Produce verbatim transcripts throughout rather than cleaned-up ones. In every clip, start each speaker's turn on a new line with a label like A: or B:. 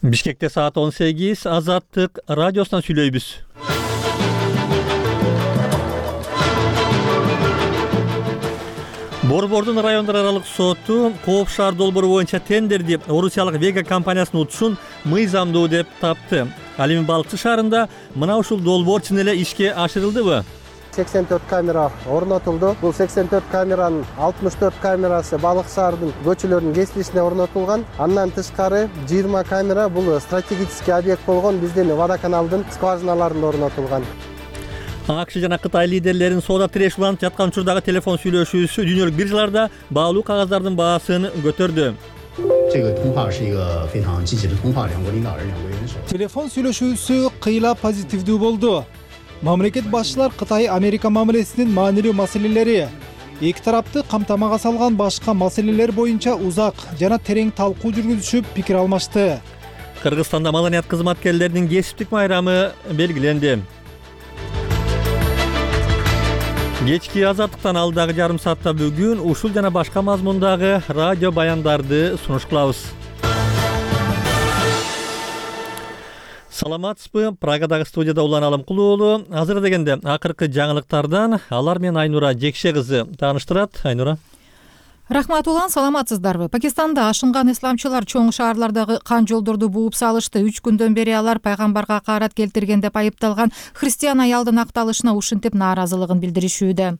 A: Бишкекте саат он сегиз, Азаттык радиосунан сүйлөйбүз. Борбордун райондор аралык соту Кооп шаар долбоору боюнча тендерди орусиялык Вега компаниясынын утушун мыйзамдуу деп тапты. Ал эми Балыкчы шаарында мына ушул долбоор чын эле ишке ашырылдыбы?
B: сексен төрт камера орнотулду. Бул сексен төрт камеранын алтымыш төрт камерасы Балык шаарынын көчөлөрүнүн кесилишине орнотулган. Андан тышкары жыйырма камера бул стратегический объект болгон биздин водоканалдын скважиналарында орнотулган.
A: АКШ жана Кытай лидерлеринин соода тирешип уланып жаткан учурдагы телефон сүйлөшүүсү дүйнөлүк биржаларда баалуу кагаздардын баасын көтөрдү.
C: Телефон сүйлөшүүсү кыйла позитивдүү болду. Мамлекет башчылар Кытай Америка мамилесинин маанилүү маселелери, эки тарапты камтамага салган башка маселелер боюнча узак жана терең талкуу жүргүзүшүп пикир алмашты.
A: Кыргызстанда маданият кызматкерлеринин кесиптик майрамы белгиленди. Кечки Азаттыктан алдагы жарым саатта бүгүн ушул жана башка мазмундагы радио баяндарды сунуш кылабыз. Саламатсызбы? Прагадагы студияда Улан Алымкулуу уулу. Азыр дегенде акыркы жаңылыктардан алар менен Айнура Жекше кызы тааныштырат. Айнура.
D: Рахмат Улан, саламатсыздарбы? Пакистанда ашынган исламчылар чоң шаарлардагы кан жолдорду бууп салышты. үч күндөн бери алар пайгамбарга каарат келтирген деп айыпталган христиан аялдын акталышына ушинтип нааразылыгын билдиришүүдө.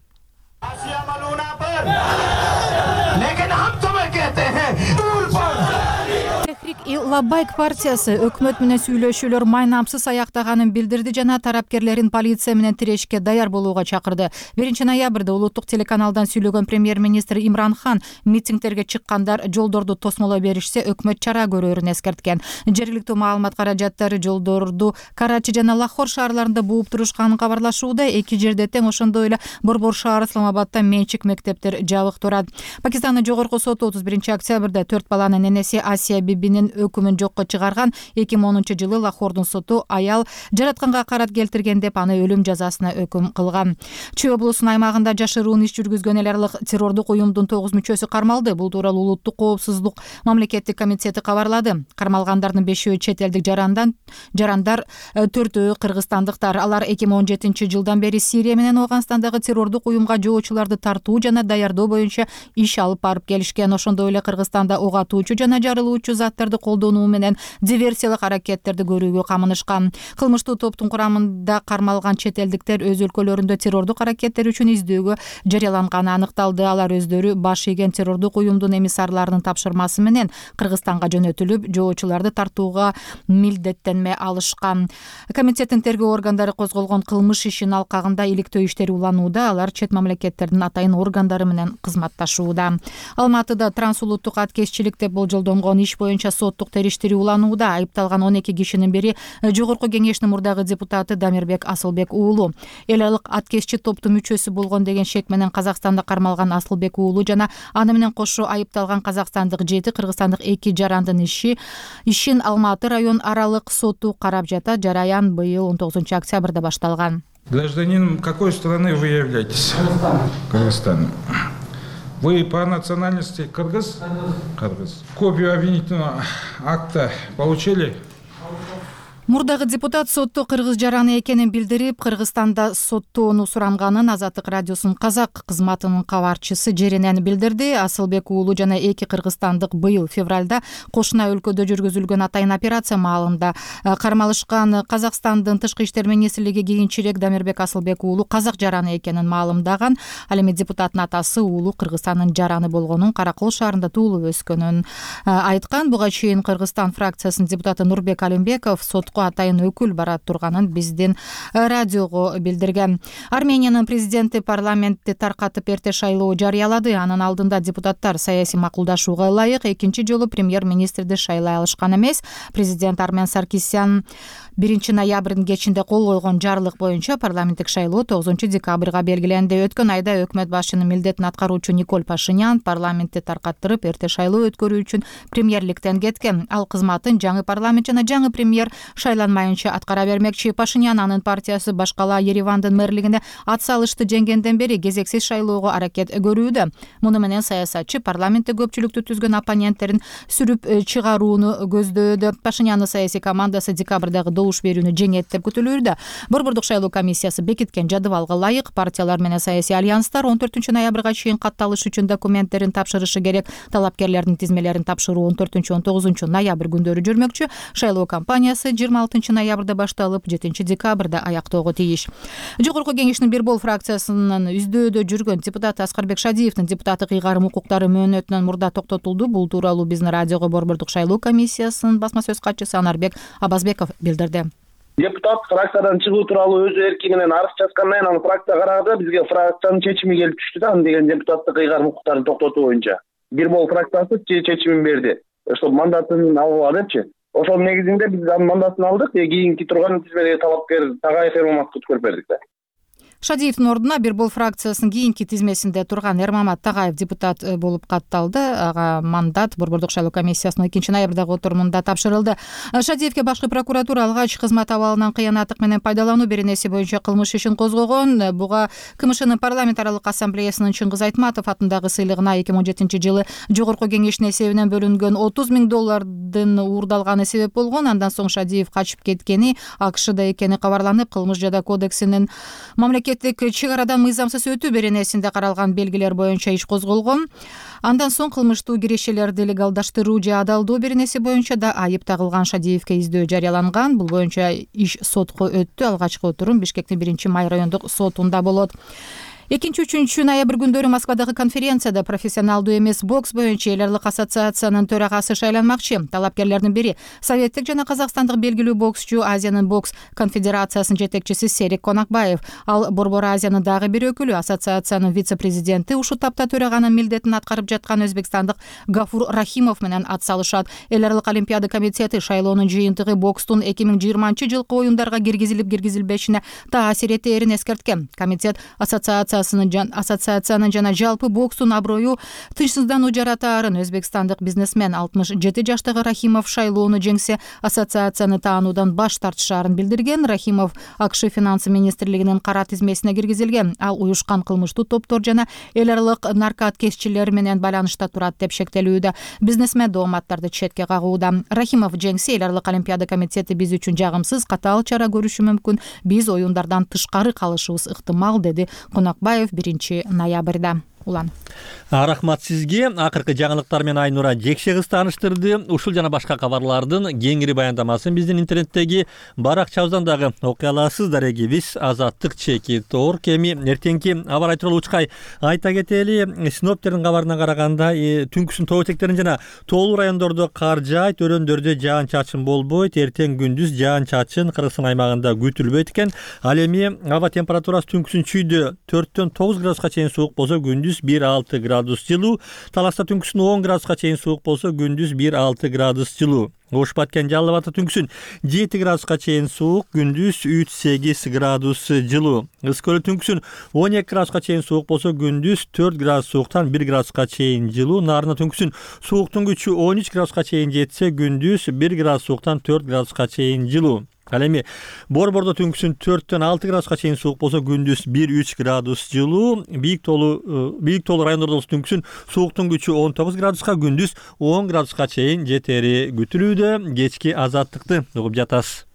D: Лаббайк партиясы өкмөт менен сүйлөшүүлөр майнамсыз аяктаганын билдирди жана тарапкерлерин полиция менен тирешке даяр болууга чакырды. биринчи ноябрда улуттук телеканалдан сүйлөгөн премьер-министр Имран Хан митингдерге чыккандар жолдорду тосмолой беришсе өкмөт чара көрөрүн эскерткен. Жергиликтүү маалымат каражаттары жолдорду Карачи жана Лахор шаарларында бууп турушканын кабарлашууда. Эки жерде тең ошондой эле Борбор шаары Исламабадда менчик мектептер жабык турат. Пакистандын жогорку соту отуз биринчи октябрда төрт баланын энеси Асия Бибинин өкүмүн жокко чыгарган. эки миң онунчу жылы Лахордун соту аял жаратканга карат келтирген деп аны өлүм жазасына өкүм кылган. Чүй облусунун аймагында жашыруун иш жүргүзгөн эл аралык террордук уюмдун тогуз мүчөсү кармалды. Бул тууралуу улуттук коопсуздук мамлекеттик комитети кабарлады. Кармалгандардын бешөө чет элдик жарандан жарандар, төртөө кыргызстандыктар. Алар эки миң он жетинчи жылдан бери Сирия менен Афганистандагы террордук уюмга жоочуларды тартуу жана даярдоо боюнча иш алып барып келишкен. Ошондой эле Кыргызстанда ок атуучу жана жарылуучу заттарды колдонуу менен диверсиялык аракеттерди көрүүгө камынышкан. Кылмыштуу топтун курамында кармалган чет элдиктер өз өлкөлөрүндө террордук аракеттер үчүн издөөгө жарыяланганы аныкталды. Алар өздөрү баш ийген террордук уюмдун эмиссарларынын тапшырмасы менен Кыргызстанга жөнөтүлүп, жоочуларды тартууга милдеттенме алышкан. Комитеттин тергөө органдары козголгон кылмыш ишинин алкагында иликтөө иштери уланууда. Алар чет мамлекеттердин атайын органдары менен кызматташууда. Алматыда трансулуттук аткезчилик деп болжолдонгон иш боюнча соттук териштирүү уланууда. Айыпталган он эки кишинин бири жогорку кеңештин мурдагы депутаты Дамирбек Асылбек уулу. Эл аралык аткезчи топтун мүчөсү болгон деген шек менен Казакстанда кармалган Асылбек уулу жана аны менен кошо айыпталган казакстандык жети, кыргызстандык эки жарандын иши ишин Алматы район аралык соту карап жатат. Жараян быйыл он тогузунчу октябрда башталган.
E: Гражданином какой страны вы являетесь? Кыргызстана. Вы по национальности кыргыз? Кыргыз. Копию обвинительного акта получили?
D: Мурдагы депутат сотто кыргыз жараны экенин билдирип, Кыргызстанда соттоону суранганын Азаттык радиосунун казак кызматынын кабарчысы Жеренен билдирди. Асылбек уулу жана эки кыргызстандык быйыл февралда кошуна өлкөдө жүргүзүлгөн атайын операция маалында кармалышкан. Казакстандын тышкы иштер министрлиги кийинчерээк Дамирбек Асылбек уулу казак жараны экенин маалымдаган. Ал эми депутаттын атасы уулу Кыргызстандын жараны болгонун, Каракол шаарында туулуп өскөнүн айткан. Буга чейин Кыргызстан фракциясынын депутаты Нурбек Алимбеков сотко атайын өкүл барат турганын биздин радиого билдирген. Армениянын президенти парламентти таркатып эрте шайлоо жарыялады. Анын алдында депутаттар саясий макулдашууга ылайык экинчи жолу премьер-министрди шайлай алышкан эмес. Президент Армен Саркисян биринчи ноябрдын кечинде кол койгон жарлык боюнча парламенттик шайлоо тогузунчу декабрга белгиленди. Өткөн айда өкмөт башчынын милдетин аткаруучу Николь Пашинян парламентти таркаттырып эрте шайлоо өткөрүү үчүн премьерликтен кеткен. Ал кызматын жаңы парламент жана жаңы премьер шайланмайынча аткара бермекчи. Пашинян анын партиясы башкала Еревандын мэрлигине ат салышты жеңгенден бери кезексиз шайлоого аракет көрүүдө. Муну менен саясатчы парламентте көпчүлүктү түзгөн оппоненттерин сүрүп чыгарууну көздөөдө. Пашинянын саясий командасы декабрдагы добуш берүүнү жеңет деп күтүлүүдө. Борбордук шайлоо комиссиясы бекиткен жадыбалга ылайык партиялар менен саясий альянстар он төртүнчү ноябрга чейин катталыш үчүн документтерин тапшырышы керек. Талапкерлердин тизмелерин тапшыруу он төртүнчү он тогузунчу ноябрь күндөрү жүрмөкчү. Шайлоо кампаниясы жыйырма алтынчы ноябрда башталып, жетинчи декабрда аяктоого тийиш. Жогорку кеңештин бир бол фракциясынын издөөдө жүргөн депутаты Аскарбек Шадиевдин депутаттык ыйгарым укуктары мөөнөтүнөн мурда токтотулду. Бул тууралуу биздин радиого Борбордук шайлоо комиссиясынын басма сөз катчысы Анарбек Абазбеков билдирди.
F: Депутат фракциядан чыгуу тууралуу өз эрки менен арыз жазгандан кийин аны фракция карады. Бизге фракциянын чечими келип түштү да, аны деген депутаттык ыйгарым укуктарын токтотуу боюнча. Бир бол фракциясы чечимин берди, чтобы мандатын алууга депчи. Ошол негизинде биз анын мандатын алдык, кийинки турган тизмедеги талапкер Тагаев Эрмаматовду өткөрүп бердик да.
D: Шадиевдин ордуна бир бол фракциясынын кийинки тизмесинде турган Эрмамат Тагаев депутат болуп катталды. Ага мандат Борбордук шайлоо комиссиясынын экинчи ноябрдагы отурумунда тапшырылды. Шадиевге башкы прокуратура алгач кызмат абалынан кыянаттык менен пайдалануу беренеси боюнча кылмыш ишин козгогон. Буга КМШнын парламент аралык ассамблеясынын Чыңгыз Айтматов атындагы сыйлыгына эки миң он жетинчи жылы жогорку кеңештин эсебинен бөлүнгөн отуз миң доллардын уурдалганы себеп болгон. Андан соң Шадиев качып кеткени, АКШда экени кабарланып, кылмыш жада кодексинин мамлекет чек арадан мыйзамсыз өтүү беренесинде каралган белгилер боюнча иш козголгон. Андан соң кылмыштуу кирешелерди легалдаштыруу же адалдоо беренеси боюнча да айып тагылган Шадиевге издөө жарыяланган. Бул боюнча иш сотко өттү. Алгачкы отурум Бишкектин биринчи май райондук сотунда болот. экинчи үчүнчү ноябрь күндөрү Москвадагы конференцияда профессионалдуу эмес бокс боюнча эл аралык ассоциациянын төрагасы шайланмакчы. Талапкерлердин бири Советтик жана Казакстандык белгилүү боксчу, Азиянын бокс конфедерациясынын жетекчиси Серик Конакбаев. Ал Борбор Азиянын дагы бир өкүлү, ассоциациянын вице-президенти, ушул тапта төраганын милдетин аткарып жаткан өзбекстандык Гафур Рахимов менен ат салышат. Эл аралык олимпиада комитети шайлоонун жыйынтыгы бокстун эки миң жыйырманчы жылкы оюндарга киргизилип киргизилбешине таасир этээрин эскерткен. Комитет ассоциация ассоциациянын жана жалпы бокстун аброю тынчсыздануу жаратаарын өзбекстандык бизнесмен алтымыш жети жаштагы Рахимов шайлоону жеңсе, ассоциацияны таануудан баш тартышаарын билдирген. Рахимов АКШ финансы министрлигинин кара тизмесине киргизилген. Ал уюшкан кылмыштуу топтор жана эл аралык наркоткеччилер менен байланышта турат деп шектелүүдө. Бизнесмен дооматтарды четке кагууда. Рахимов жеңсе, эл аралык олимпиада комитети биз үчүн жагымсыз, катаал чара көрүшү мүмкүн. Биз оюндардан тышкары калышыбыз ыктымал, деди Конакбаев биринчи ноябрда. Улан.
A: Рахмат сизге. Акыркы жаңылыктар менен Айнура Жекше кыз тааныштырды. Ушул жана башка кабарлардын кеңири баяндамасын биздин интернеттеги баракчабыздан дагы окуй аласыздар. Эгибиз Азаттык чеки тоор кеми эртеңки аба ырайы тууралуу учкай айта кетели. Синоптиктердин кабарына караганда түнкүсүн тоо этектерин жана тоолуу райондордо кар жаайт, өрөөндөрдө жаан чачын болбойт. Эртең күндүз жаан чачын Кыргызстан аймагында күтүлбөйт экен. Ал эми аба температурасы түнкүсүн чүйдө төрттөн тогуз градуска чейин суук болсо, күндүз бир алты градус жылуу. Таласта түнкүсүн он градуска чейин суук болсо, күндүз бир алты градус жылуу. Ош Баткен Жалал Абадта түнкүсүн жети градуска чейин суук, күндүз үч сегиз градус жылуу. Ысык-Көлдө түнкүсүн он эки градуска чейин суук болсо, күндүз төрт градус сууктан бир градуска чейин жылуу. Нарында түнкүсүн сууктун күчү он үч градуска чейин жетсе, күндүз бир градус сууктан төрт градуска чейин жылуу. Ал эми Борбордо түнкүсүн төрттөн алты градуска чейин суук болсо, күндүз бир үч градус жылуу. Бийик тоолуу бийик тоолуу райондордо түнкүсүн сууктун күчү он тогуз градуска, күндүз он градуска чейин жетери күтүлүүдө. Кечки Азаттыкты угуп жатасыз.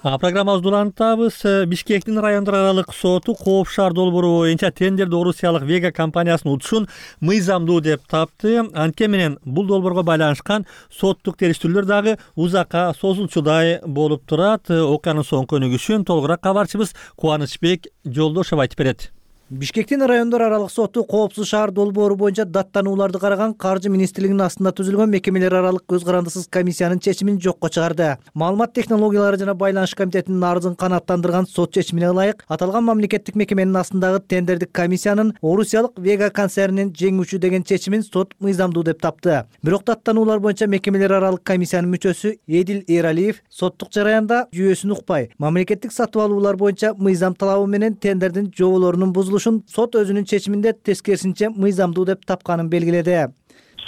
A: Программабызды улантабыз. Бишкектин райондор аралык соту Кооп шаар долбоору боюнча тендерди орусиялык Вега компаниясынын утушун мыйзамдуу деп тапты. Анткени менен бул долбоорго байланышкан соттук териштирүүлөр дагы узакка созулчудай болуп турат. Окуянын соңку өнүгүшүн толугураак кабарчыбыз Кубанычбек Жолдошов айтып берет.
G: Бишкектин райондор аралык соту коопсуз шаар долбоору боюнча даттанууларды караган Каржы министрлигинин астында түзүлгөн мекемелер аралык көз карандысыз комиссиянын чечимин жокко чыгарды. Маалымат технологиялары жана байланыш комитетинин арызын канааттандырган сот чечимине ылайык, аталган мамлекеттик мекеменин астындагы тендердик комиссиянын орусиялык Вега концернинин жеңүүчү деген чечимин сот мыйзамдуу деп тапты. Бирок даттануулар боюнча мекемелер аралык комиссиянын мүчөсү Эдил Эралиев соттук жараянда жүйөсүн укпай, мамлекеттик сатып алуулар боюнча мыйзам талабы менен тендердин жоболорунун бузулушу курулушун сот өзүнүн чечиминде тескерисинче мыйзамдуу деп тапканын белгиледи.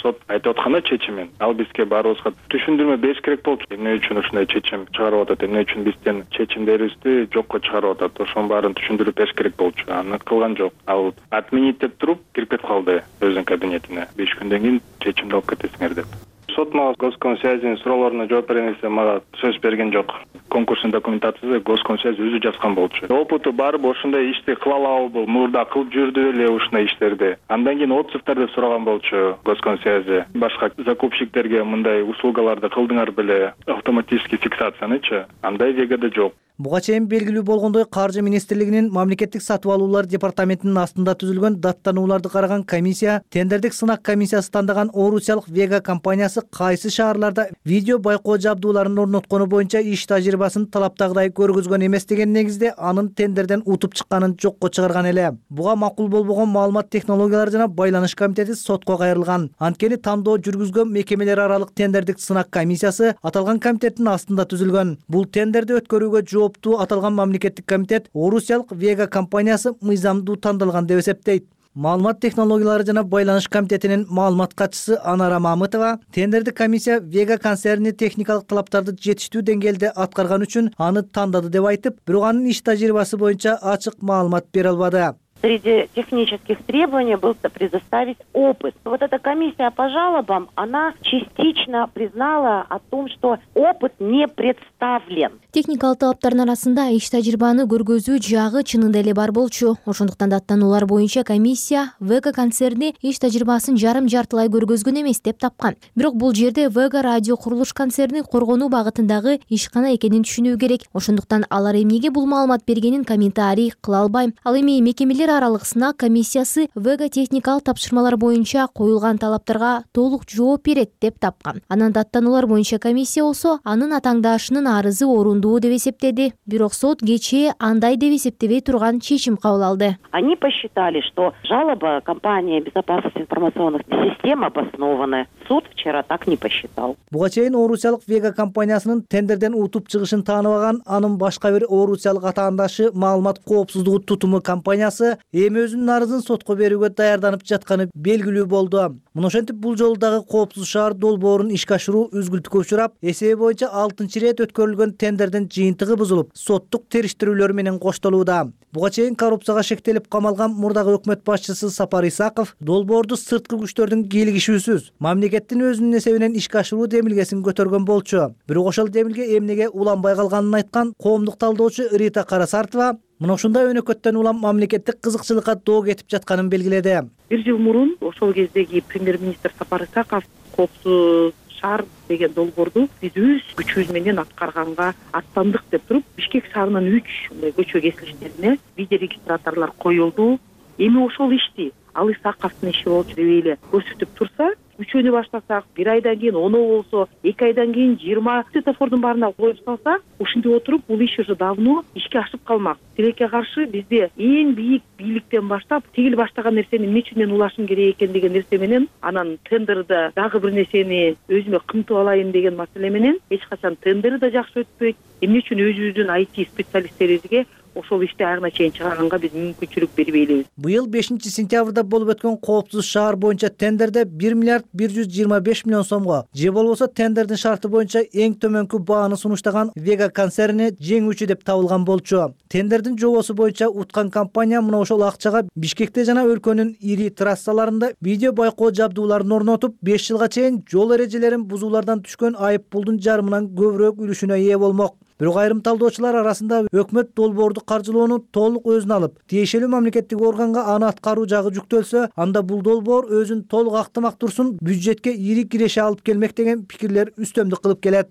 H: Сот айтып атканда чечимин ал бизге баарыбызга түшүндүрмө бериш керек болчу. Эмне үчүн ушундай чечим чыгарып атат, эмне үчүн бизден чечимдерибизди жокко чыгарып атат, ошонун баарын түшүндүрүп бериш керек болчу. Аны кылган жок. Ал отменить деп туруп кирип кетип калды өзүнүн кабинетине. беш күндөн кийин чечимди алып кетесиңер деп. Сот мага Госкомсвязьдин суроолоруна жооп берген кезде мага сөз берген жок. Конкурстун документациясы Госкомсвязь өзү жазган болчу. Опыту барбы ушундай ишти кыла алабы, мурда кылып жүрдү эле ушундай иштерди. Андан кийин отзывдар деп сураган болчу Госкомсвязь. Башка закупщиктерге мындай услугаларды кылдыңар беле, автоматический фиксациянычы? Андай вегада жок.
G: Буга чейин белгилүү болгондой, Каржы министрлигинин мамлекеттик сатып алуулар департаментинин астында түзүлгөн даттанууларды караган комиссия тендердик сынак комиссиясы тандаган Орусиялык Вега компаниясы кайсы шаарларда видео байкоо жабдууларын орноткону боюнча иш тажрыйбасын талаптагыдай көргөзгөн эмес деген негизде анын тендерден утуп чыкканын жокко чыгарган эле. Буга макул болбогон маалымат технологиялары жана байланыш комитети сотко кайрылган. Анткени тандоо жүргүзгөн мекемелер аралык тендердик сынак комиссиясы аталган комитеттин астында түзүлгөн. Бул тендерди өткөрүүгө жооптуу аталган мамлекеттик комитет Орусиялык Вега компаниясы мыйзамдуу тандалган деп эсептейт. Маалымат технологиялары жана байланыш комитетинин маалымат катчысы Анара Мамытова тендердик комиссия Вега концерни техникалык талаптарды жетиштүү деңгээлде аткарган үчүн аны тандады деп айтып, бирок анын иш тажрыйбасы боюнча ачык маалымат бере албады.
I: Среди технических требований был предоставить опыт. Вот эта комиссия по жалобам, она частично признала о том, что опыт не представлен.
J: Техникалык талаптардын арасында иш тажрыйбаны көргөзүү жагы чынында эле бар болчу. Ошондуктан даттануулар боюнча комиссия Вега концерни иш тажрыйбасын жарым-жартылай көргөзгөн эмес деп тапкан. Бирок бул жерде Вега радио курулуш концерни коргонуу багытындагы ишкана экенин түшүнүү керек. Ошондуктан алар эмнеге бул маалымат бергенин комментарий кыла албайм. Ал эми мекемелер аралык сынак комиссиясы Вега техникалык тапшырмалар боюнча коюлган талаптарга толук жооп берет деп тапкан. Анан даттануулар боюнча комиссия болсо анын атаңдашынын арызы орундуу деп эсептеди. Бирок сот кечээ андай деп эсептебей турган чечим кабыл алды.
I: Они посчитали, что жалоба компании безопасности информационных систем обоснованы. Суд вчера так не посчитал.
G: Буга чейин Орусиялык Вега компаниясынын тендерден утуп чыгышын тааныбаган анын башка бир Орусиялык атаандашы маалымат коопсуздугу тутуму компаниясы эми өзүнүн арызын сотко берүүгө даярданып жатканы белгилүү болду. Мына ошентип бул жолу дагы коопсуз шаар долбоорун ишке ашыруу үзгүлтүккө учурап, эсеби боюнча алтынчы ирет өткөрүлгөн тендердин жыйынтыгы бузулуп, соттук териштирүүлөр менен коштолууда. Буга чейин коррупцияга шектелип камалган мурдагы өкмөт башчысы Сапар Исаков долбоорду сырткы күчтөрдүн кийлигишүүсүз мамлекеттин өзүнүн эсебинен ишке ашыруу демилгесин көтөргөн болчу. Бирок ошол демилге эмнеге уланбай калганын айткан коомдук талдоочу Рита Карасартова мына ушундай өнөкөттөн улам мамлекеттик кызыкчылыкка доо кетип жатканын белгиледи.
K: Бир жыл мурун ошол кездеги премьер-министр Сапар Исаков коопсуз шаар деген долбоорду биз өз күчүбүз менен аткарганга аттандык деп туруп, Бишкек шаарынын үч көчө кесилиштерине видео регистраторлор коюлду. Эми ошол ишти ал Исаковдун иши болчу деп эле көрсөтүп турса, үчөөнү баштасак, бир айдан кийин он болсо, эки айдан кийин жыйырма светофордун баарына коюп салса, ушинтип отуруп бул иш уже давно ишке ашып калмак. Тилекке каршы бизде эң бийик бийликтен баштап тигил баштаган нерсени эмне үчүн мен улашым керек экен деген нерсе менен, анан тендерде дагы бир нерсени өзүмө кымтып алайын деген маселе менен эч качан тендер да жакшы өтпөйт. Эмне үчүн өзүбүздүн ай ти специалисттерибизге ошол ишти айрына чейин чыгарганга биз мүмкүнчүлүк бербей элебиз.
G: Быйыл бешинчи сентябрда болуп өткөн коопсуз шаар боюнча тендерде бир миллиард бир жүз жыйырма беш миллион сомго, же болбосо тендердин шарты боюнча эң төмөнкү бааны сунуштаган Вега концерни жеңүүчү деп табылган болчу. Тендердин жобосу боюнча уткан компания мына ошол акчага Бишкекте жана өлкөнүн ири трассаларында видео байкоо жабдууларын орнотуп, беш жылга чейин жол эрежелерин бузуулардан түшкөн айып пулдун жарымынан көбүрөөк үлүшүнө ээ болмок. Бирок айрым талдоочулар арасында өкмөт долбоорду каржылоону толук өзүнө алып, тиешелүү мамлекеттик органга аны аткаруу жагы жүктөлсө, анда бул долбоор өзүн толук актамак турсун, бюджетке ири киреше алып келмек деген пикирлер үстөмдүк кылып келет.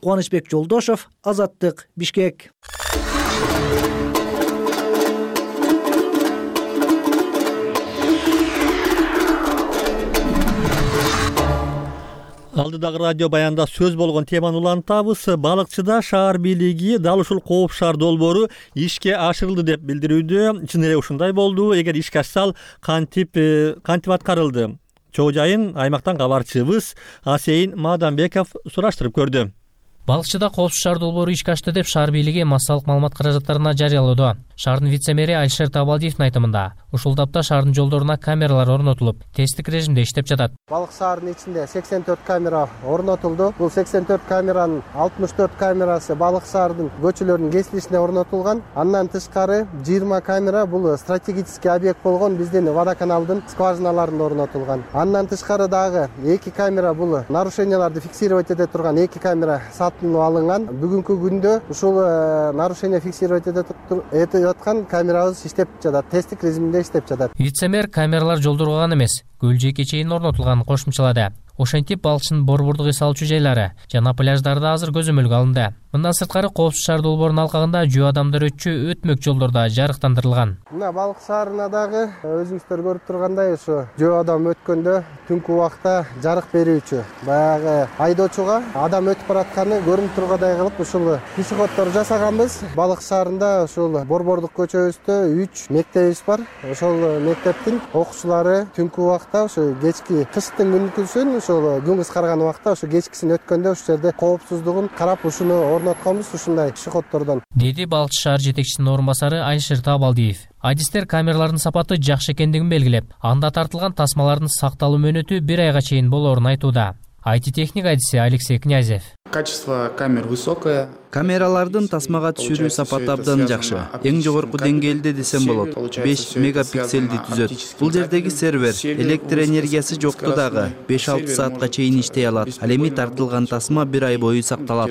G: Кубанычбек Жолдошов, Азаттык, Бишкек.
A: Алдыдагы радио баянда сөз болгон теманы улантабыз. Балыкчыда шаар бийлиги дал ушул кооп шаар долбоору ишке ашырылды деп билдирүүдө. Чын эле ушундай болду. Эгер ишке ашсал, кантип кантип аткарылды? Чоо жайын аймактан кабарчыбыз Асейин Маданбеков сураштырып көрдү.
L: Балыкчыда коопсуз шаар долбоору ишке ашты деп шаар бийлиги массалык маалымат каражаттарына жарыялоодо. Шаардын вице-мэри Алишер Табалдиевдин айтымында, ушул тапта шаардын жолдоруна камералар орнотулуп, тесттик режимде иштеп жатат.
B: Балык шаарынын ичинде сексен төрт камера орнотулду. Бул сексен төрт камеранын алтымыш төрт камерасы балык шаарынын көчөлөрүнүн кесилишине орнотулган. Андан тышкары жыйырма камера бул стратегический объект болгон биздин водоканалдын скважиналарында орнотулган. Андан тышкары дагы эки камера бул нарушенияларды фиксировать эте турган эки камера сатылып алынган. Бүгүнкү күндө ушул нарушение фиксировать этип аткан камерабыз иштеп жатат, тесттик режимде иштеп жатат.
L: Вице-мэр камералар жолдорго гана эмес, көл жээкке чейин орнотулганын кошумчалады. Ошентип балыкчынын борбордук эс алуучу жайлары жана пляждарда азыр көзөмөлгө алынды. Мындан сырткары коопсуз шаар долбоорунун алкагында жөө адамдар өтчү өтмөк жолдорда жарыктандырылган.
B: Мына балык шаарына дагы өзүңүздөр көрүп тургандай ушу жөө адам өткөндө түнкү убакта жарык берүүчү баягы айдоочуга адам өтүп баратканы көрүнүп тургандай кылып ушул пешеходдор жасаганбыз. Балык шаарында ушул борбордук көчөбүздө үч мектебибиз бар. Ошол мектептин окуучулары түнкү убакта ушу кечки кыштын күнкүсүн ошол күн кыскарган убакта ушу кечкисин өткөндө ушул жерде коопсуздугун карап ушуну орнотконбуз ушундай пешеходдордон, деди
L: балыкчы шаар жетекчисинин орун басары Алишер Табалдиев. Адистер камералардын сапаты жакшы экендигин белгилеп, анда тартылган тасмалардын сакталуу мөөнөтү бир айга чейин болоорун айтууда. ай ти-техник адиси Алексей Князев.
M: Качество камер высокое.
N: Камералардын тасмага түшүрүү сапаты абдан жакшы. Эң жогорку деңгээлде десем болот. беш мегапикселди түзөт. Бул жердеги сервер электр энергиясы жокту дагы беш алты саатка чейин иштей алат. Ал эми тартылган тасма бир ай бою сакталат.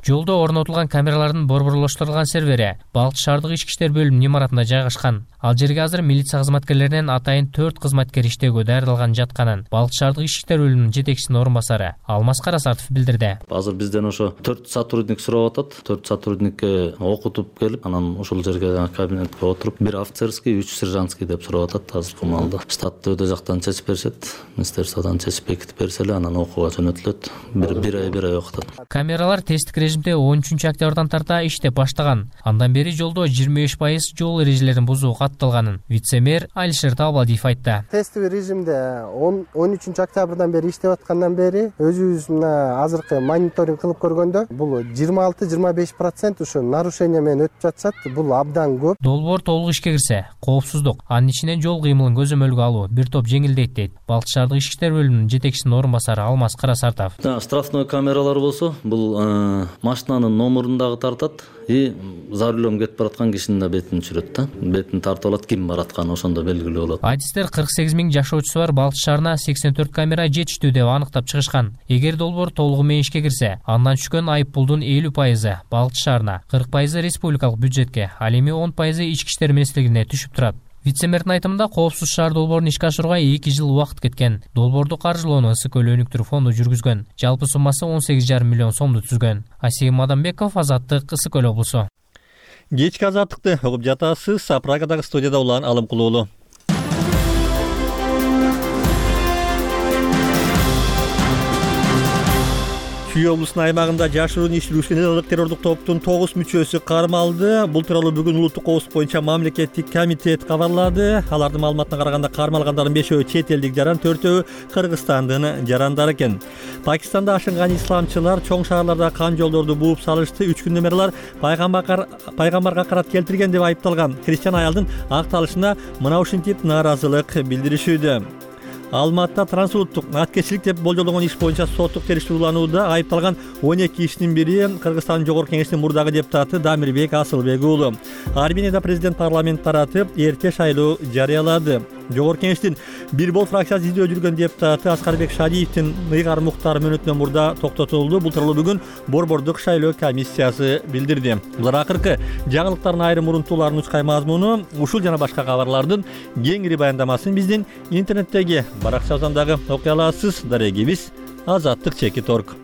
L: Жолдо орнотулган камералардын борборлоштурулган сервери Балыкчы шаардык ички иштер бөлүмүнүн имаратында жайгашкан. Ал жерге азыр милиция кызматкерлеринен атайын төрт кызматкер иштөөгө даярдалган жатканын Балыкчы шаардык ички иштер бөлүмүнүн жетекчисинин орун басары Алмаз Карасартов билдирди.
O: Азыр бизден ошо төрт сотрудник сурап атат. төрт сотрудникке окутуп келип, анан ошол жерге кабинетке отуруп, бир офицерский, үч сержантский деп сурап атат. Азыркы маалда штатты өдө жактан чечип беришет, министерстводон чечип бекитип берсе эле анан окууга жөнөтүлөт. Бир бир ай бир ай окутат.
L: Камералар тесттик режимде он үчүнчү октябрдан тарта иштеп баштаган. Андан бери жолдо жыйырма беш пайыз жол эрежелерин бузуу катталганын вице-мэр Алишер Табалдиев айтты.
B: Тесттик режимде он үчүнчү октябрдан бери иштеп аткандан бери өзүбүз мына азыркы мониторинг кылып көргөндө бул жыйырма алты жыйырма беш процент ушу нарушение менен өтүп жатышат. Бул абдан көп.
L: Долбоор толук ишке кирсе, коопсуздук, анын ичинен жол кыймылын көзөмөлгө алуу бир топ жеңилдейт дейт Балыкчы шаардык ички иштер бөлүмүнүн жетекчисинин орун басары Алмаз Карасартов.
O: Штрафной камералар болсо, бул машинанын номерун дагы тартат и за рулем кетип бараткан кишинин да бетин түшүрөт да. Бетин тартып алат, ким баратканы ошондо белгилүү болот.
L: Адистер кырк сегиз миң жашоочусу бар Балыкчы шаарына сексен төрт камера жетиштүү деп аныктап чыгышкан. Эгер долбоор толугу менен ишке кирсе, андан түшкөн айып пулдун элүү пайызы Балыкчы шаарына, кырк пайызы республикалык бюджетке, ал эми он пайызы ички иштер министрлигине түшүп турат. Вице-мэрдин айтымында коопсуз шаар долбоорун ишке ашырууга эки жыл убакыт кеткен. Долбоорду каржылоону Ысык көл өнүктүрүү фонду жүргүзгөн. Жалпы суммасы он сегиз жарым миллион сомду түзгөн. Асейим Адамбеков, Азаттык, Ысык көл облусу.
A: Кечки азаттыкты угуп жатасыз. Прагадагы студияда улан Алым Кулуулу. Чүй облусунун аймагында жашыруун иш жүргүзгөн террордук топтун тогуз мүчөсү кармалды. Бул тууралуу бүгүн улуттук коопсуздук боюнча мамлекеттик комитет кабарлады. Алардын маалыматына караганда кармалгандардын бешөө чет элдик жаран, төртөө Кыргызстандын жарандары экен. Пакистанда ашынган исламчылар чоң шаарларда кан жолдорду бууп салышты. Үч күндөн бери алар пайгамбарга карат келтирген деп айыпталган христиан аялдын акталышына мына ушинтип нааразылык билдиришүүдө. Алматта трансулуттук аткечилик деп болжолдогон иш боюнча соттук териштирүү уланууда айыпталган он эки кишинин бири Кыргызстандын жогорку кеңешинин мурдагы депутаты Дамирбек Асылбек уулу. Арменияда президент парламент таратып эрте шайлоо жарыялады. Жогорку кеңештин бир бол фракциясы издөө жүргөн депутаты Аскарбек Шадиевдин ыйгар муктар мөөнөтүнөн мурда токтотулду. Бул тууралуу бүгүн борбордук шайлоо комиссиясы билдирди. Булар акыркы жаңылыктардын айрым урунтууларын учкай мазмуну. Ушул жана башка кабарлардын кеңири баяндамасын биздин интернеттеги баракчабыздан дагы окуй аласыз. Дарегибиз азаттык чекит точка орг.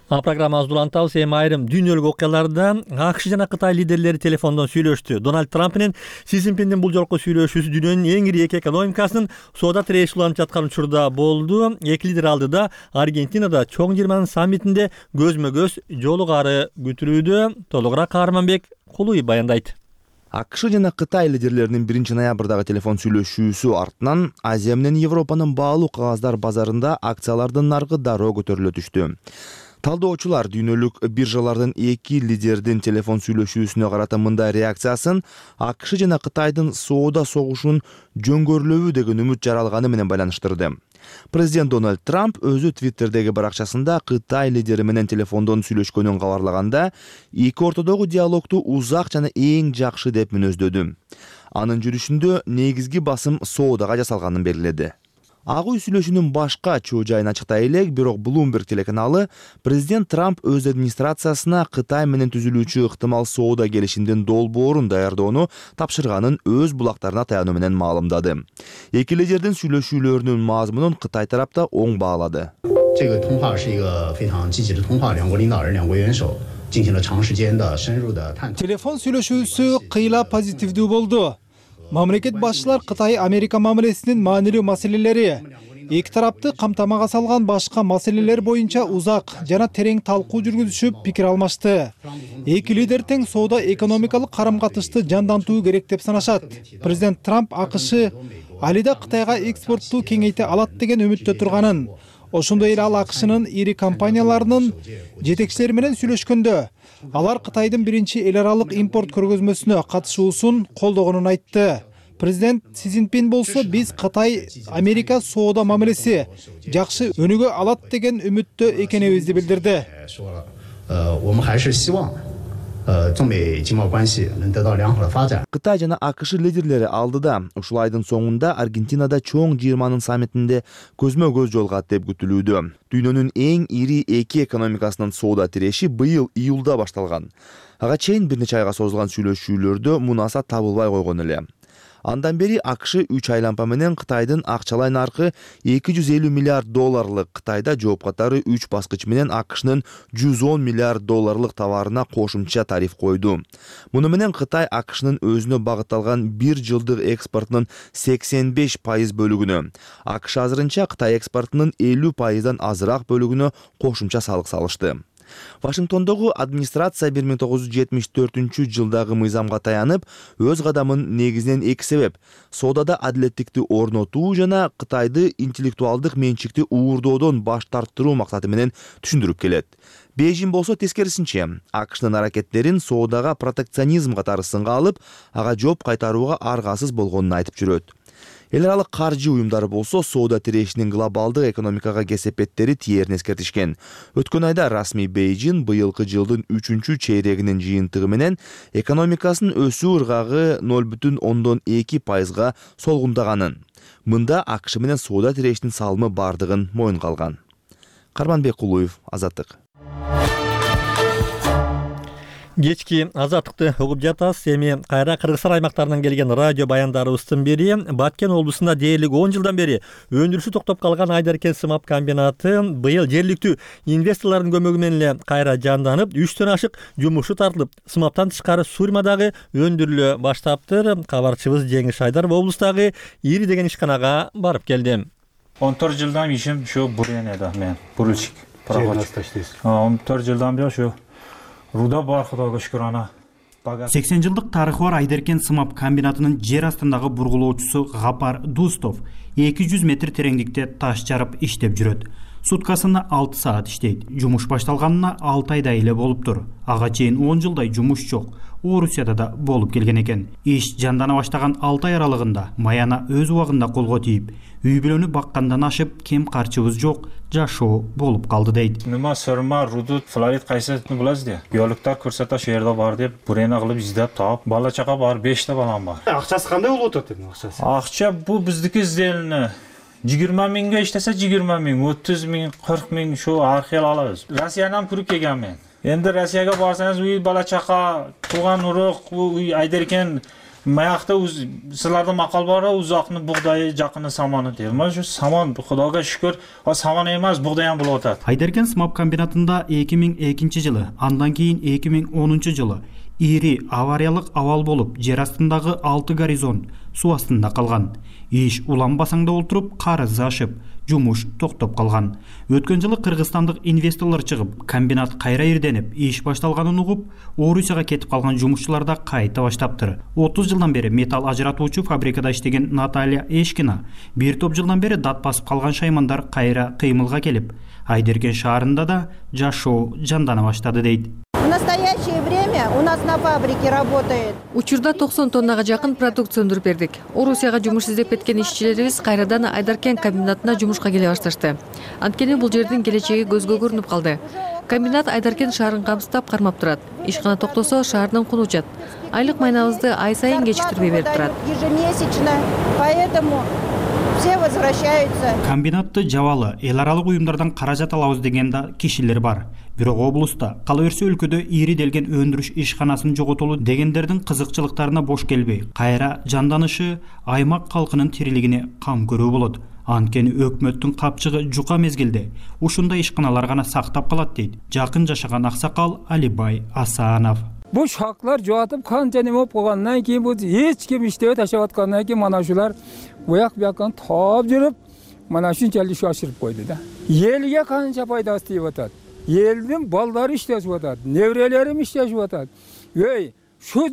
A: А программабызды улантабыз. Эми айрым дүйнөлүк окуялардан АКШ жана Кытай лидерлери телефондон сүйлөштү. Дональд Трамп менен Си Цзиньпиндин бул жолку сүйлөшүүсү дүйнөнүн эң ири эки экономикасынын соода тиреши уланып жаткан учурда болду. Эки лидер алдыда Аргентинада чоң жыйырманын саммитинде көзмө-көз жолугары күтүлүүдө. Толугураак Каарманбек Кулуй баяндайт.
P: АКШ жана Кытай лидерлеринин биринчи ноябрдагы телефон сүйлөшүүсү артынан Азия менен Европанын баалуу кагаздар базарында акциялардын наркы дароо көтөрүлө түштү. Талдоочулар дүйнөлүк биржалардын эки лидердин телефон сүйлөшүүсүнө карата мындай реакциясын АКШ жана Кытайдын соода согушунун жөнгөрүлөбү деген үмүт жаралганы менен байланыштырды. Президент Дональд Трамп өзү Твиттердеги баракчасында Кытай лидери менен телефондон сүйлөшкөнүн кабарлаганда, эки ортодогу диалогду узак жана эң жакшы деп мүнөздөдү. Анын жүрүшүндө негизги басым соодага жасалганын белгиледи. Ак үй сүйлөшүүнүн башка чоо жайын ачыктай элек, бирок Bloomberg телеканалы президент Трамп өз администрациясына Кытай менен түзүлүүчү ыктымал соода келишимдин долбоорун даярдоону тапшырганын өз булактарына таянуу менен маалымдады. Эки лидердин сүйлөшүүлөрүнүн мазмунун Кытай тарапта оң баалады.
C: Телефон сүйлөшүүсү кыйла позитивдүү болду. Мамлекет башчылар Кытай Америка мамилесинин маанилүү маселелери, эки тарапты камтамага салган башка маселелер боюнча узак жана терең талкуу жүргүзүшүп пикир алмашты. Эки лидер тең соода экономикалык карам-катышты жандантуу керек деп санашат. Президент Трамп АКШ алида Кытайга экспортту кеңейте алат деген үмүттө турганын, ошондой эле ал АКШнын ири компанияларынын жетекчилери менен сүйлөшкөндө алар Кытайдын биринчи эл аралык импорт көргөзмөсүнө катышуусун колдогонун айтты. Президент Си Цзиньпин болсо биз Кытай Америка соода мамилеси жакшы өнүгө алат деген үмүттө экенибизди билдирди.
P: Кытай жана АКШ лидерлери алдыда ушул айдын соңунда Аргентинада чоң жыйырманын саммитинде көзмө-көз жолугат деп күтүлүүдө. Дүйнөнүн эң ири эки экономикасынын соода тиреши быйыл июлда башталган. Ага чейин бир нече айга созулган сүйлөшүүлөрдө мунаса табылбай койгон эле. Андан бери АКШ үч айланпа менен Кытайдын акчалай наркы эки жүз элүү миллиард долларлык, Кытайда жооп катары үч баскыч менен АКШнын жүз он миллиард долларлык товарына кошумча тариф койду. Муну менен Кытай АКШнын өзүнө багытталган бир жылдык экспортунун сексен беш пайыз бөлүгүнө, АКШ азырынча Кытай экспортунун элүү пайыздан азыраак бөлүгүнө кошумча салык салышты. Вашингтондогу администрация бир миң тогуз жүз жетимиш төртүнчү жылдагы мыйзамга таянып, өз кадамын негизинен эки себеп: соодада адилеттикти орнотуу жана Кытайды интеллектуалдык менчикти уурдоодон баш тарттыруу максаты менен түшүндүрүп келет. Бейжин болсо тескерисинче, АКШнын аракеттерин соодага протекционизм катары сынга алып, ага жооп кайтарууга аргасыз болгонун айтып жүрөт. Эл аралык каржы уюмдары болсо соода тирешинин глобалдык экономикага кесепеттери тиерин эскертишкен. Өткөн айда расмий Бейжин быйылкы жылдын үчүнчү чейрегинин жыйынтыгы менен экономикасынын өсүү ыргагы ноль бүтүн ондон эки пайызга солгундаганын. Мында АКШ менен соода тирешинин салымы бардыгын моюнга алган. Карманбек Кулуев, Азаттык.
A: Кечки Азаттыкты угуп жатасыз. Эми кайра Кыргызстан аймактарынан келген радио баяндарыбыздын бири Баткен облусунда дээрлик он жылдан бери өндүрүшү токтоп калган Айдаркен сымап комбинаты быйыл жергиликтүү инвесторлордун көмөгү менен эле кайра жанданып, үчтөн ашык жумушу тартылып, сымаптан тышкары Сурмадагы өндүрүлө баштаптыр. Кабарчыбыз Жеңиш Айдаров облустагы ири деген ишканага барып келди.
Q: он төрт жылдан ишим ушу буренеда мен, бурульщик, пароходчик. он төрт жылдан бери ушу руда бар, Кудайга шүкүр ана.
R: сексен жылдык тарыхы бар Айдаркен сымап комбинатынын жер астындагы бургулоочусу Гапар Дустов эки жүз метр тереңдикте таш жарып иштеп жүрөт. Суткасына алты саат иштейт. Жумуш башталганына алты айдай эле болуптур. Ага чейин он жылдай жумуш жок. Орусияда да болуп келген экен. Иш жандана баштаган алты ай аралыгында Маяна өз убагында колго тийип, үй бүлөнү баккандан ашып, кем карчыбыз жок, жашоо болуп калды дейт.
Q: Нема сөрма, рудут, флорид кайсысын билесиз де. Биологтор көрсөтө шу жерде бар деп, бурена кылып издеп таап, бала чака бар, беш та балам бар.
R: Акчасы кандай болуп атат эми акчасы?
Q: Акча бу биздики изделини жыйырма миңге иштесе жыйырма миң, отуз миң, кырк миң шу архел алабыз. Россиядан күрүп келген мен. Энди Россияга барсаңыз, уй бала чака, тууган урук, уй Айдаркен маякта силерде макал бар, узакны бугдайы, жакыны саманы дейт. Мына шу саман, Кудайга шүкүр, а саман эмес, бугдай ham болуп атат.
R: Айдаркен сымап комбинатында эки миң экинчи жылы, андан кийин эки миң онунчу жылы ири авариялык абал болуп, жер астындагы алты горизонт суу астында калган. Иш уланбасаңда олтуруп, карызы ашып, жумуш токтоп калган. Өткөн жылы кыргызстандык инвесторлор чыгып, комбинат кайра ирденип, иш башталганын угуп, Орусияга кетип калган жумушчулар да кайта баштаптыр. отуз жылдан бери металл ажыратуучу фабрикада иштеген Наталья Эшкина бир топ жылдан бери дат басып калган шаймандар кайра кыймылга келип, Айдеркен шаарында да жашоо жандана баштады дейт.
S: В настоящее время у нас на фабрике работает.
T: Учурда токсон тоннага жакын продукция өндүрүп бердик. Орусияга жумуш издеп кеткен ишчилерибиз кайрадан Айдаркен комбинатына жумушка келе башташты. Анткени бул жердин келечеги көзгө көрүнүп калды. Комбинат Айдаркен шаарын камсыздап кармап турат. Ишкана токтосо шаардын кулу учат. Айлык майнабызды ай сайын кечиктирбей берип турат.
S: Ежемесячно, поэтому все возвращаются.
R: Комбинатты жабалы, эл аралык уюмдардан каражат алабыз деген да кишилер бар. Бирок облуста, кала берсе өлкөдө ийриделген өндүрүш ишканасын жоготолу дегендердин кызыкчылыктарына бош келбей, кайра жанданышы аймак калкынын тирилигине кам көрүү болот. Анткени өкмөттүн капчыгы жука мезгилде ушундай ишканалар гана сактап калат дейт жакын жашаган аксакал Алибай Асанов.
U: Бул шаклар жоотуп канча неме болуп калгандан кийин бул эч ким иштебей ташап аткандан кийин мана ушулар буяк бияктан таап жүрүп мана ушунчалык иш ашырып койду да. Элге канча пайдасы тийип атат. Элдин балдары иштешип атат, неберелерим иштешип атат. Эй, шу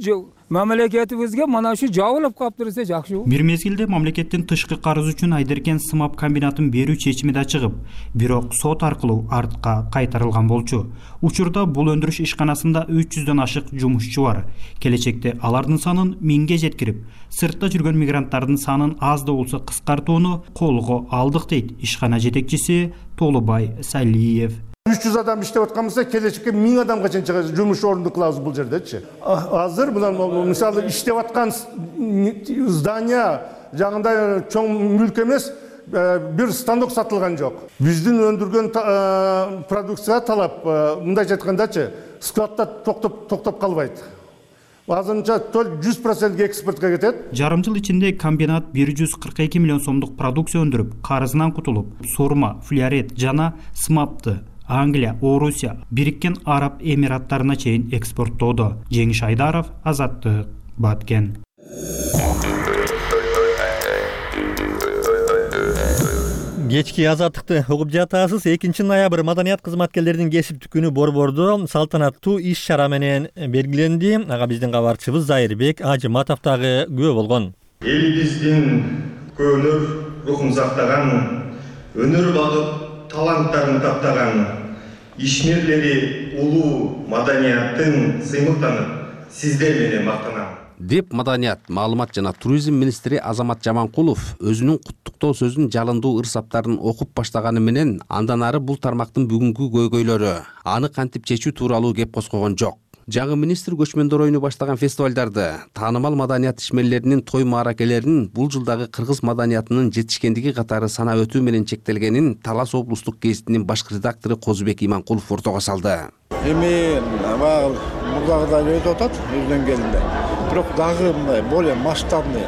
U: мамлекетибизге мана ушу жабылып калыптыр жакшы.
R: Бир мезгилде мамлекеттин тышкы карыз үчүн Айдаркен сымап комбинатын берүү чечими да чыгып, бирок сот аркылуу артка кайтарылган болчу. Учурда бул өндүрүш ишканасында үч жүздөн ашык жумушчу бар. Келечекте алардын санын миңге жеткирип, сыртта жүргөн мигранттардын санын аз да болсо кыскартууну колго алдык дейт ишкана жетекчиси Толубай Салиев.
V: үч жүз адам иштеп аткан болсо, келечекке миң адамга чейин жумуш орунду кылабыз бул жердечи. Азыр мына мисалы иштеп аткан здания жагында чоң мүлк эмес, бир станок сатылган жок. Биздин өндүргөн продукцияга талап, мындайча айткандачы, складда токтоп токтоп калбайт. Азырынча жүз процент экспортко кетет.
R: Жарым жыл ичинде комбинат бир жүз кырк эки миллион сомдук продукция өндүрүп, карызынан кутулуп, сурма, флюорет жана сымапты Англия, Орусия, Бириккен Араб Эмираттарына чейин экспорттоодо. Жеңиш Айдаров, Азаттык, Баткен.
A: Кечки азаттыкты угуп жатасыз. экинчи ноябрь маданият кызматкерлеринин кесиптик күнү борбордо салтанаттуу иш-чара менен белгиленди. Ага биздин кабарчыбыз Зайырбек Ажыматов дагы күбө болгон.
W: Элибиздин көөнөр рухун сактаган, өнөр багып таланттарын таптаган ишмерлери улуу маданияттын сыймыктанып, сиздер менен мактанам
X: деп маданият, маалымат жана туризм министри Азамат Жаманкулов өзүнүн куттуктоо сөзүн жалындуу ырсаптарын окуп баштаганы менен андан ары бул тармактын бүгүнкү көйгөйлөрү, аны кантип чечүү тууралуу кеп козгогон жок. Жаңы министр көчмөндөр оюну баштаган фестивалдарды, таанымал маданият ишмерлеринин той мааракелерин бул жылдагы кыргыз маданиятынын жетишкендиги катары санап өтүү менен чектелгенин Талас облустук гезитинин башкы редактору Козубек Иманкулов ортого салды.
Y: Эми баягы мурдагыдай өтүп атат өз деңгээлинде. Бирок дагы мындай более масштабный,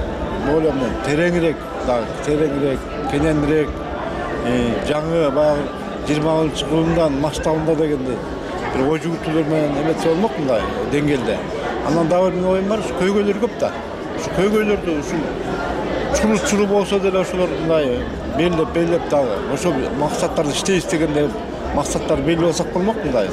Y: более тереңирээк, дагы тереңирээк, кененирээк, жаңы баягы жыйырманчы кылымдан масштабында дегендей бир ой жүгүртүүлөр менен эметсе болмок мындай деңгээлде. Андан дагы бир оюм бар, көйгөйлөр көп да. Ушу көйгөйлөрдү ушу чуру-чуру болсо деле ошолор мындай белгилеп белгилеп дагы ошол максаттарды иштейбиз дегенде максаттар белгилеп алсак болмок мындай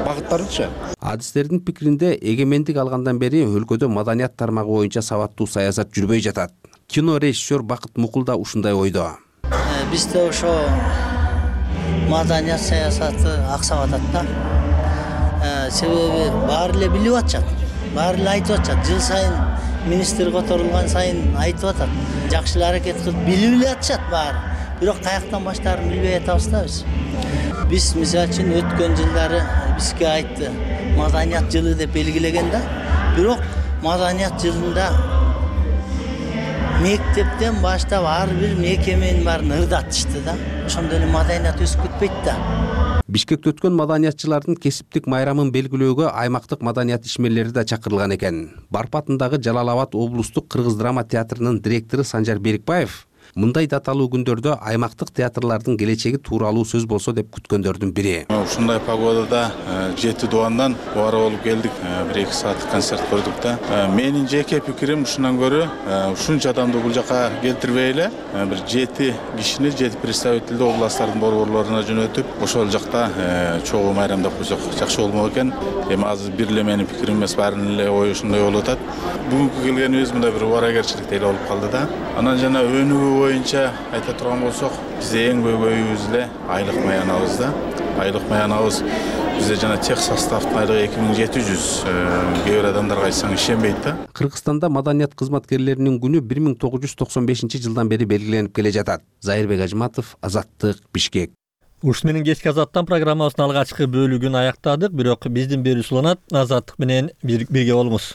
Y: багыттарычы.
X: Адистердин пикиринде эгемендик алгандан бери өлкөдө маданият тармагы боюнча сабаттуу саясат жүрбөй жатат. Кино режиссер Бакыт Мукул да ушундай ойдо.
Z: Бизде ошо маданият саясаты аксап атат да. Себеби баары эле билип атышат, баары эле айтып атышат. Жыл сайын министр которулган сайын айтып атат. Жакшы эле аракет кылып билип эле атышат баары. Бирок каяктан баштаарын билбей атабыз да биз. Биз мисалы үчүн өткөн жылдары бизге айтты, маданият жылы деп белгилеген да. Бирок маданият жылында мектептен баштап ар бир мекеменин баарын ырдатышты да. Ошондо эле маданият өсүп кетпейт да.
X: Бишкекте өткөн маданиятчылардын кесиптик майрамын белгилөөгө аймактык маданият ишмерлери да чакырылган экен. Барпатындагы Жалал Абад облустук кыргыз драма театрынын директору Санжар Берикбаев Мындай даталуу күндөрдө аймактык театрлардын келечеги тууралуу сөз болсо деп күткөндөрдүн бири.
D: Ушундай погодада жети дубандан убара болуп келдик. бир эки сааттык концерт көрдүк да. Менин жеке пикирим ушундан көрө ушунча адамды бул жака келтирбей эле бир жети кишини, жети представительди областтардын борборлоруна жөнөтүп, ошол жакта чогуу майрамдап койсок жакшы болмок экен. Эми азыр бир эле менин пикирим эмес, баарынын эле ою ушундай болуп атат. Бүгүнкү келгенибиз мындай бир убаракерчилик эле болуп калды да. Анан жана өнүгүү боюнча айта турган болсок, бизде эң көйгөйүбүз эле айлык маянабыз да. Айлык маянабыз бизде жана тех составдын айлыгы эки миң жети жүз. Кээ бир адамдарга айтсаң ишенбейт да.
X: Кыргызстанда маданият кызматкерлеринин күнү бир миң тогуз жүз токсон бешинчи жылдан бери белгиленип келе жатат. Зайырбек Ажматов, Азаттык, Бишкек.
A: Ушун менен кечки Азаттан программабыздын алгачкы бөлүгүн аяктадык, бирок биздин берүүчү уланат Азаттык менен бирге болуңуз.